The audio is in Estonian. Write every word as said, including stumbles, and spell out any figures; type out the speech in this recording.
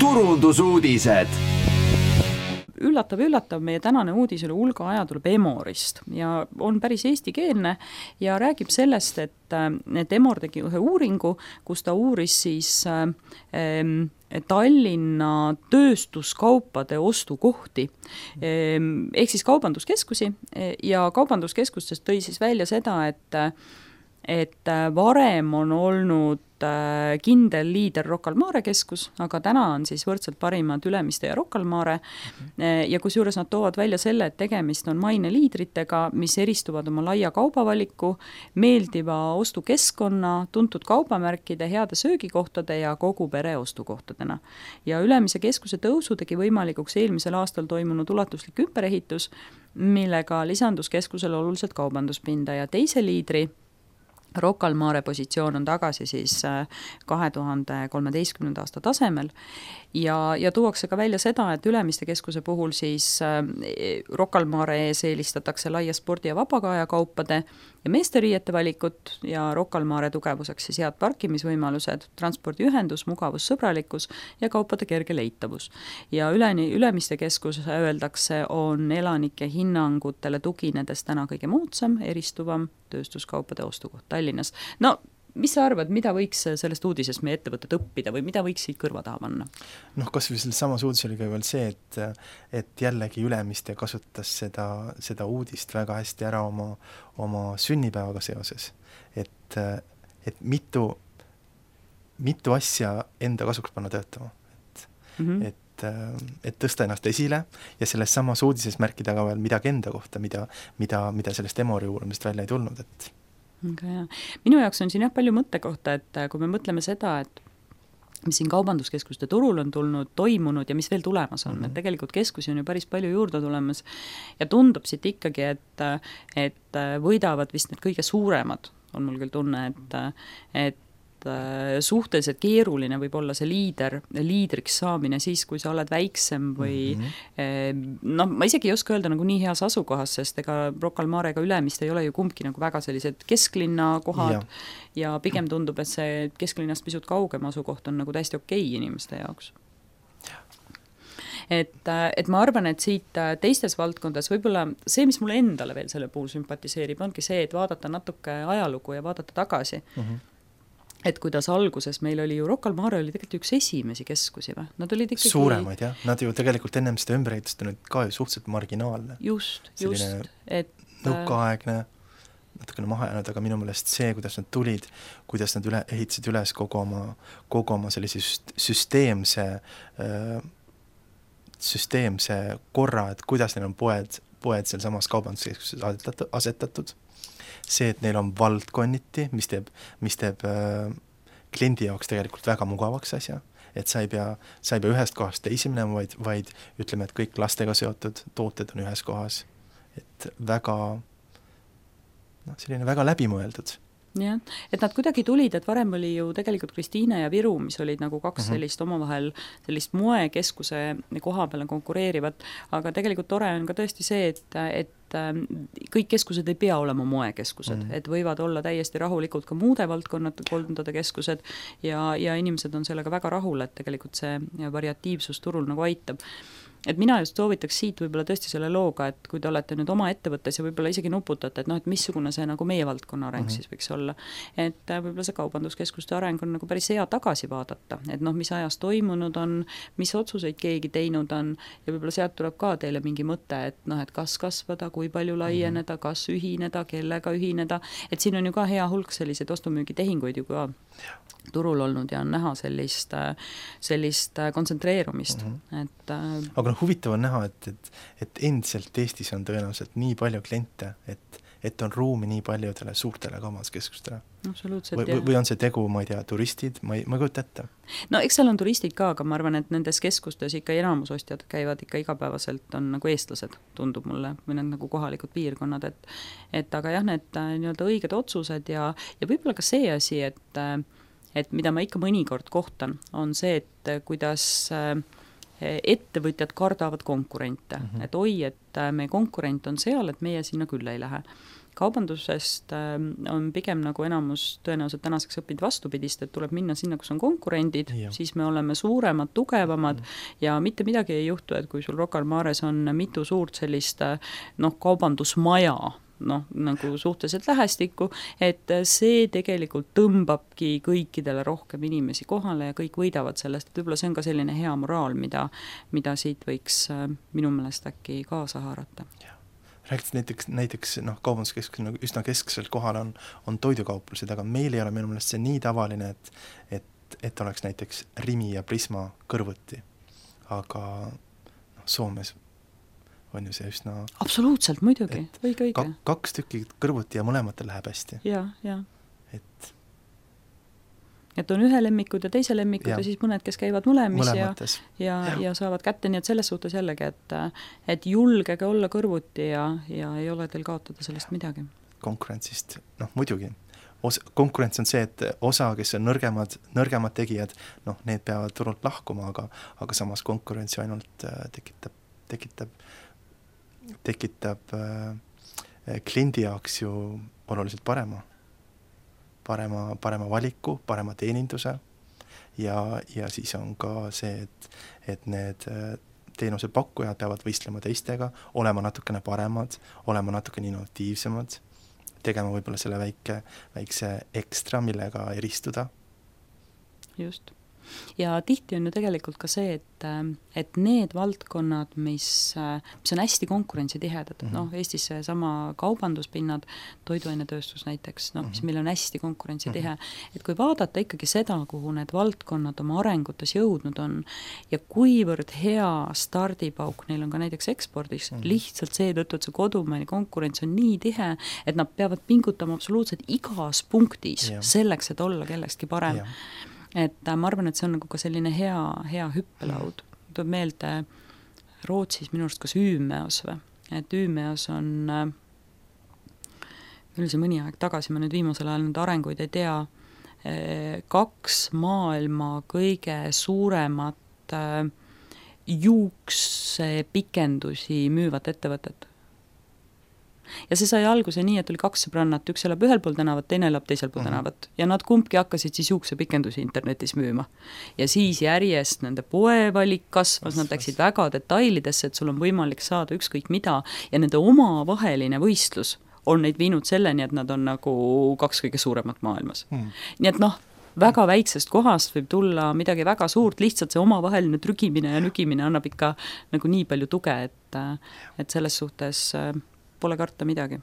turundusuudised. Üllatav, üllatav, meie tänane uudis oli hulga aja tuleb Emorist ja on päris eestikeelne ja räägib sellest, et, et Emor tegi ühe uuringu, kus ta uuris siis äh, Tallinna tööstuskaupade ostukohti ehk siis kaubanduskeskusi ja kaubanduskeskustest tõi siis välja seda, et et varem on olnud kindel liider Rocca al Mare keskus, aga täna on siis võrdselt parimad Ülemiste ja Rocca al Mare ja kusjuures nad toovad välja selle, et tegemist on maine liidritega, mis eristuvad oma laia kaubavaliku, meeldiva ostukeskkonna, tuntud kaubamärkide, heade söögikohtade ja kogu pere ostukohtadena. Ja Ülemise keskuse tõusu tegi võimalikuks eelmisel aastal toimunud ulatuslik ümberehitus, millega lisandus keskusele oluliselt kaubanduspinda ja teise liidri Rocca al Mare positsioon on tagasi siis kahe tuhande kolmeteistkümnenda aasta tasemel ja, ja tuuakse ka välja seda, et Ülemiste keskuse puhul siis Rocca al Mare ees eelistatakse laia spordi- ja vabakaja kaupade ja meesteriiete valikut ja Rocca al Mare tugevuseks siis head parkimisvõimalused, transpordiühendus, mugavus, sõbralikkus ja kaupade kerge leitavus. Ja üleni, Ülemiste keskus öeldakse on elanike hinnangutele tuginedes täna kõige moodsam, eristuvam tööstuskaupade ostukoht Tallinnas. No, mis sa arvad, mida võiks sellest uudisest meie ettevõtted õppida või mida võiks siit kõrva taha panna? Noh, kas või selles samas uudis oli ka veel see, et, et jällegi Ülemiste kasutas seda, seda uudist väga hästi ära oma, oma sünnipäevaga seoses. Et, et mitu, mitu asja enda kasuks panna töötama. Et, mm-hmm. et, et tõsta ennast esile ja selles samas uudises märkida ka veel midagi enda kohta, mida, mida, mida sellest Emori uurimist välja ei tulnud, et Okay, jah. Minu jaoks on siin jah palju mõtte kohta, et kui me mõtleme seda, et mis siin kaubanduskeskuste turul on tulnud, toimunud ja mis veel tulemas on, mm-hmm. et tegelikult keskusi on ju päris palju juurde tulemas ja tundub siit ikkagi, et, et võidavad vist need kõige suuremad, on mul küll tunne, et, et suhteliselt keeruline võib olla see liider, liidriks saamine siis, kui sa oled väiksem või mm-hmm. noh, ma isegi ei oska öelda nagu nii heas asukohas, sest ega Rocca al Mare ega Ülemist ei ole ju kumbki nagu väga sellised kesklinna kohad ja, ja pigem tundub, et see kesklinnast pisut kaugem asukoht on nagu täiesti okei inimeste jaoks. Et, et ma arvan, et siit teistes valdkondades võib-olla see, mis mulle endale veel selle puhul sümpatiseerib, ongi see, et vaadata natuke ajalugu ja vaadata tagasi. Mm-hmm. Et kuidas alguses meil oli ju Rocca al Mare oli tegelikult üks esimesi keskusi või? Nad olid ikkagi suuremaid, jah. Nad ju tegelikult ennem seda ümberehitust on ka ju suhteliselt marginaalne. Just, just. Et nõukaaegne, natukene maha jäänud, aga minu meelest see, kuidas nad tulid, kuidas nad üle, ehitasid üles kogu oma, kogu oma sellise süsteemse, süsteemse korra, et kuidas neil on poed, poed seal samas kaubanduskeskuses asetatud. See, et neil on valdkonniti, mis teeb, mis teeb äh, kliendi jaoks tegelikult väga mugavaks asja, et sa ei pea, sa ei pea ühest kohast teisi minema, vaid, vaid ütleme, et kõik lastega seotud tooted on ühes kohas. Et väga, no, selline väga läbimõeldud. jah, et nad kuidagi tulid, et varem oli ju tegelikult Kristiine ja Viru, mis olid nagu kaks mm-hmm. sellist omavahel sellist moekeskuse koha peale konkureerivat, aga tegelikult tore on ka tõesti see, et, et kõik keskused ei pea olema moekeskused, mm. et võivad olla täiesti rahulikult ka muude valdkonnad, koldade keskused ja, ja inimesed on sellega väga rahul, et tegelikult see variatiivsus turul nagu aitab. Et mina just soovitaks siit võib-olla tõesti selle looga, et kui te olete nüüd oma ettevõttes ja võib-olla isegi nuputate, et noh, et missugune see nagu meie valdkonna areng mm-hmm. siis võiks olla. Et võib-olla see kaubanduskeskuste areng on nagu päris hea tagasi vaadata, et noh, mis ajas toimunud on, mis otsuseid keegi teinud on ja võib-olla sealt tuleb ka teile mingi mõte, et noh, et kas kasvada, kui palju laieneda, mm-hmm. kas ühineda, kellega ühineda, et siin on ju ka hea hulk selliseid ostumüügitehinguid ju ka turul olnud ja on näha sellist, sellist kontsentreerumist. Mm-hmm. Et, aga no huvitav on näha, et, et, et endiselt Eestis on tõenäoliselt nii palju kliente, et, et on ruumi nii paljudele suurtele kaubanduskeskustele. Absoluutselt, või, või on see tegu, ma ei tea, turistid, ma ei, ma ei kujuta ette. No eks seal on turistid ka, aga ma arvan, et nendes keskustes ikka enamusostjad käivad ikka igapäevaselt, on nagu eestlased, tundub mulle, või need nagu kohalikud piirkonnad, et, et aga jah, need nii-öelda õiged otsused ja, ja võib-olla ka see asi, et et mida ma ikka mõnikord kohtan, on see, et kuidas ettevõtjad kardavad konkurente. Mm-hmm. Et oi, et meie konkurent on seal, et meie sinna küll ei lähe. kaubandusest on pigem nagu enamus tõenäoliselt tänaseks õppinud vastupidist, et tuleb minna sinna, kus on konkurendid, ja. Siis me oleme suuremad, tugevamad mm. ja mitte midagi ei juhtu, et kui sul Rocca al Mares on mitu suurt sellist noh, kaubandusmaja, noh, nagu suhteliselt lähestikku, et see tegelikult tõmbabki kõikidele rohkem inimesi kohale ja kõik võidavad sellest, et võib-olla see on ka selline hea moraal, mida, mida siit võiks minu meelest äkki kaasa haarata. Rääkides näiteks, näiteks noh, kaubanduskeskus nagu üsna kesksel kohal on, on toidukauplused, aga meil ei ole minu meelest see nii tavaline, et, et, et oleks näiteks Rimi ja Prisma kõrvuti, aga noh, Soomes on ju see üsna... Absoluutselt, muidugi, õige, õige. Kak, kaks tükki kõrvuti ja mõlematel läheb hästi. Ja, ja. Et... et on ühe lemmikud ja teise lemmikud ja, ja siis mõned, kes käivad mõlemis ja, ja, ja. ja saavad kätte, nii et selles suhtes jällegi, et, et julgege olla kõrvuti ja, ja ei ole teil kaotada sellest midagi. Konkurentsist, noh muidugi. Os, konkurents on see, et osa, kes on nõrgemad, nõrgemad tegijad, noh, need peavad turult lahkuma, aga, aga samas konkurentsi ainult äh, tekitab, tekitab tekitab äh, kliendi jaoks ju oluliselt parema, parema, parema valiku, parema teeninduse ja, ja siis on ka see, et, et need äh, teenusepakkujad peavad võistlema teistega, olema natukene paremad, olema natukene innovatiivsemad, tegema võib-olla selle väike, väikse ekstra, millega eristuda. Just. Ja tihti on ju tegelikult ka see, et, et need valdkonnad, mis, mis on hästi konkurentsitihedad, mm -hmm. noh, Eestis see sama kaubanduspinnad, toiduainetööstus näiteks, noh, mis meil on hästi konkurentsitihe, mm -hmm. et kui vaadata ikkagi seda, kuhu need valdkonnad oma arengutes jõudnud on ja kuivõrd hea stardipauk neil on ka näiteks ekspordis, mm -hmm. lihtsalt seetõttu, et see kodumaine konkurents on nii tihe, et nad peavad pingutama absoluutselt igas punktis yeah. selleks, et olla kellestki parem. Yeah. Et ma arvan, et see on nagu ka selline hea, hea hüppelaud. Tuleb meelde Rootsis minu arust kas Üümeos või, et Üümeos on, meil see mõni aeg tagasi, ma nüüd viimasel ajal nüüd arenguid ei tea, kaks maailma kõige suuremat juuksepikendusi müüvat ettevõtet. Ja see sai alguse nii, et oli kaks sõbrannat, üks elab ühel pool tänavat, teine elab teisel pool mm -hmm. tänavat ja nad kumbki hakkasid siis juuksepikendusi internetis müüma. Ja siis järjest nende poevalik kasvas, nad läksid väga detailidesse, et sul on võimalik saada ükskõik mida ja nende omavaheline võistlus on neid viinud selleni, et nad on nagu kaks kõige suuremat maailmas. Mm -hmm. Nii et noh, väga väiksest kohast võib tulla midagi väga suurt, lihtsalt see omavaheline trügimine ja nügimine annab ikka nagu nii palju tuge, et, et selles suhtes pole karta midagi.